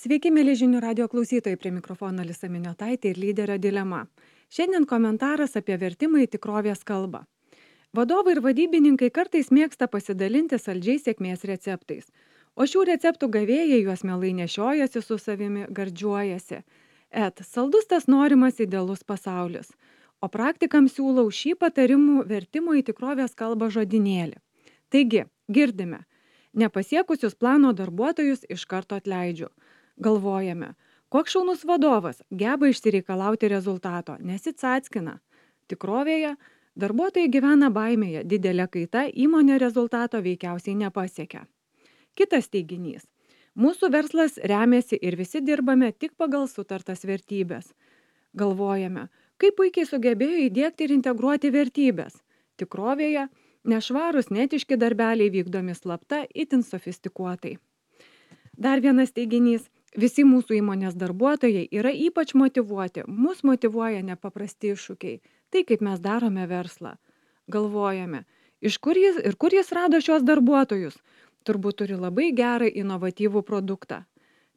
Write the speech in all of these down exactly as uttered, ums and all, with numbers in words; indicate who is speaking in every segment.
Speaker 1: Sveiki, mėly žinių radio klausytojai, prie mikrofono Alisa Miniotaitė ir lyderio dilema. Šiandien komentaras apie vertimą į tikrovės kalbą. Vadovai ir vadybininkai kartais mėgsta pasidalinti saldžiais sėkmės receptais, o šių receptų gavėjai juos mielai nešiojasi su savimi, gardžiuojasi. Et, saldus tas norimas idealus pasaulis, o praktikams siūlau šį patarimų vertimo į tikrovės kalbą žodinėlį. Taigi, girdime, nepasiekusius plano darbuotojus iš karto atleidžiu. Galvojame, koks šaunus vadovas geba išsireikalauti rezultato, nesitsackina. Tikrovėje darbuotojai gyvena baimėje, didelė kaita įmonė rezultato veikiausiai nepasiekia. Kitas teiginys. Mūsų verslas remiasi ir visi dirbame tik pagal sutartas vertybės. Galvojame, kaip puikiai sugebėjo įdiegti ir integruoti vertybės. Tikrovėje nešvarūs netiški darbeliai vykdomi slapta, itin sofistikuotai. Dar vienas teiginys. Visi mūsų įmonės darbuotojai yra ypač motyvuoti, mus motyvuoja nepaprasti iššūkiai, tai kaip mes darome verslą. Galvojame, iš kur jis ir kur jis rado šios darbuotojus, turbūt turi labai gerą inovatyvų produktą.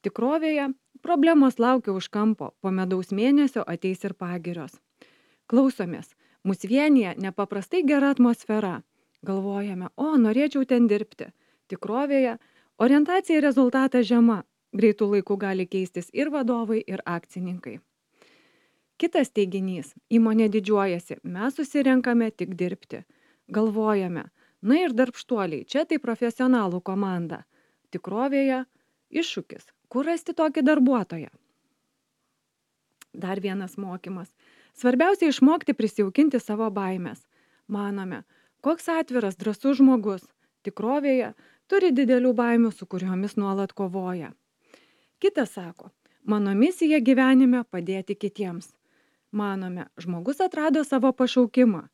Speaker 1: Tikrovėje problemos laukia už kampo, po medaus mėnesio ateis ir pagirios. Klausomės, mus vienyje nepaprastai gera atmosfera. Galvojame, o norėčiau ten dirbti. Tikrovėje orientacija į rezultatą žema. Greitų laikų gali keistis ir vadovai, ir akcininkai. Kitas teiginys. Įmonė didžiuojasi. Mes susirenkame tik dirbti. Galvojame. Na ir darbštuoliai. Čia tai profesionalų komanda. Tikrovėje iššūkis. Kur rasti tokį darbuotoją? Dar vienas mokymas. Svarbiausia išmokti prisijaukinti savo baimės. Manome, koks atviras, drąsus žmogus. Tikrovėje turi didelių baimių, su kuriomis nuolat kovoja. Kitas sako, mano misija gyvenime padėti kitiems. Manome, žmogus atrado savo pašaukimą.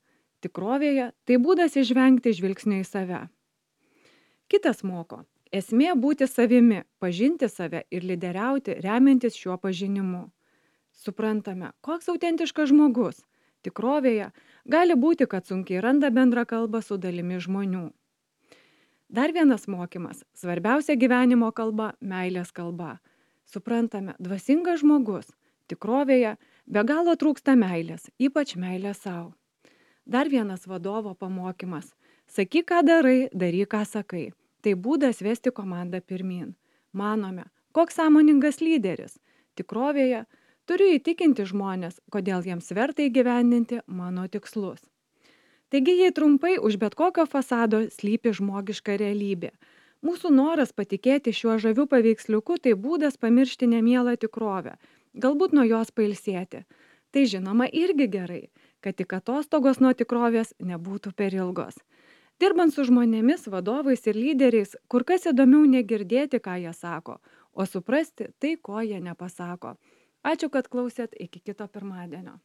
Speaker 1: Tikrovėje tai būdas išvengti žvilgsnio į save. Kitas moko, esmė būti savimi, pažinti save ir lyderiauti, remiantis šiuo pažinimu. Suprantame, koks autentiškas žmogus. Tikrovėje gali būti, kad sunkiai randa bendrą kalbą su dalimi žmonių. Dar vienas mokymas, svarbiausia gyvenimo kalba, meilės kalba. Suprantame, dvasingas žmogus, tikrovėje be galo trūksta meilės, ypač meilės savo. Dar vienas vadovo pamokymas, sakyk, ką darai, daryk, ką sakai. Tai būdas vesti komandą pirmyn. Manome, koks sąmoningas lyderis. Tikrovėje turiu įtikinti žmonės, kodėl jiems verta įgyvendinti mano tikslus. Taigi, jei trumpai, už bet kokio fasado slypi žmogiška realybė. Mūsų noras patikėti šiuo žaviu paveiksliuku tai būdas pamiršti nemielą tikrovę, galbūt nuo jos pailsėti. Tai žinoma irgi gerai, kad tik atostogos nuo tikrovės nebūtų per ilgos. Dirbant su žmonėmis, vadovais ir lyderiais, kur kas įdomiau negirdėti, ką jie sako, o suprasti tai, ko jie nepasako. Ačiū, kad klausėt, iki kito pirmadienio.